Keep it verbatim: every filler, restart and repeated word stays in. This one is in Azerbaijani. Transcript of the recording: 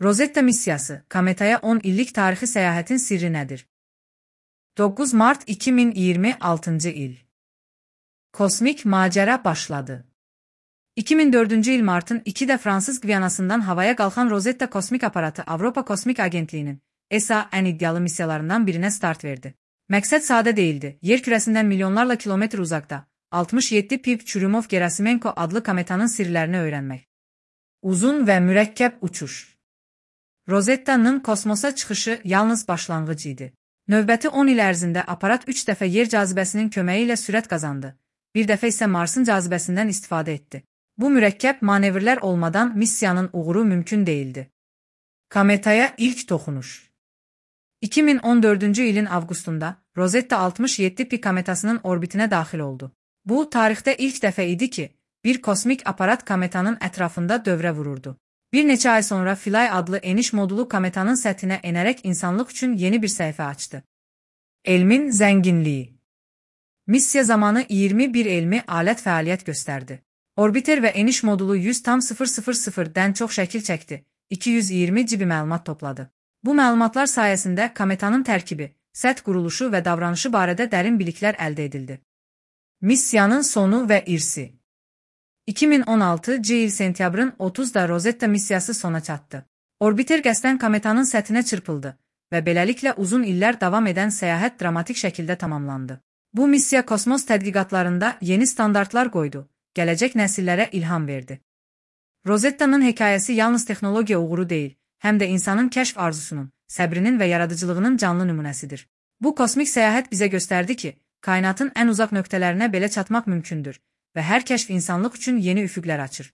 Rosetta missiyası, kometaya on illik tarixi səyahətin sirri nədir? doqquz mart iki min iyirmi altıncı il. Kosmik macəra başladı. iki min dördüncü il martın ikidə Fransız Gviyanasından havaya qalxan Rosetta kosmik aparatı Avropa Kosmik Agentliyinin E S A ən iddialı missiyalarından birinə start verdi. Məqsəd sadə değildi. Yer kürəsindən milyonlarla kilometr uzaqda altmış yeddi Pip Churyumov-Gerasimenko adlı kometanın sirlərini öyrənmək. Uzun və mürəkkəb uçuş. Rosetta'nın kosmosa çıxışı yalnız başlanğıc idi. Növbəti on il ərzində aparat üç dəfə yer cazibəsinin köməyi ilə sürət qazandı. Bir dəfə isə Marsın cazibəsindən istifadə etdi. Bu mürəkkəb manevrlər olmadan missiyanın uğuru mümkün değildi. Kometaya ilk toxunuş. iki min on dördüncü ilin avqustunda Rosetta altmış yeddi Pi kometasının orbitinə daxil oldu. Bu, tarixdə ilk dəfə idi ki, bir kosmik aparat kometanın ətrafında dövrə vururdu. Bir neçə ay sonra Philae adlı eniş modulu kometanın səthinə enərək insanlıq üçün yeni bir səhifə açdı. Elmin zənginliyi. Missiya zamanı iyirmi bir elmi alət fəaliyyət göstərdi. Orbiter və eniş modulu yüz tam sıfır sıfır sıfırdən çox şəkil çəkdi, iki yüz iyirmi cibi məlumat topladı. Bu məlumatlar sayəsində kometanın tərkibi, səth quruluşu və davranışı barədə dərin biliklər əldə edildi. Missiyanın sonu və irsi. iki min on altıncı il sentyabrın otuzunda Rosetta missiyası sona çatdı. Orbiter qəsdən kometanın səthinə çırpıldı və beləliklə uzun illər davam edən səyahət dramatik şəkildə tamamlandı. Bu missiya kosmos tədqiqatlarında yeni standartlar qoydu, gələcək nəsillərə ilham verdi. Rosetta'nın hekayəsi yalnız texnologiya uğuru deyil, həm də insanın kəşf arzusunun, səbrinin və yaradıcılığının canlı nümunəsidir. Bu kosmik səyahət bizə göstərdi ki, kainatın ən uzaq nöqtələrinə belə çatmaq mümkündür və hər kəşf insanlıq üçün yeni üfüqlər açır.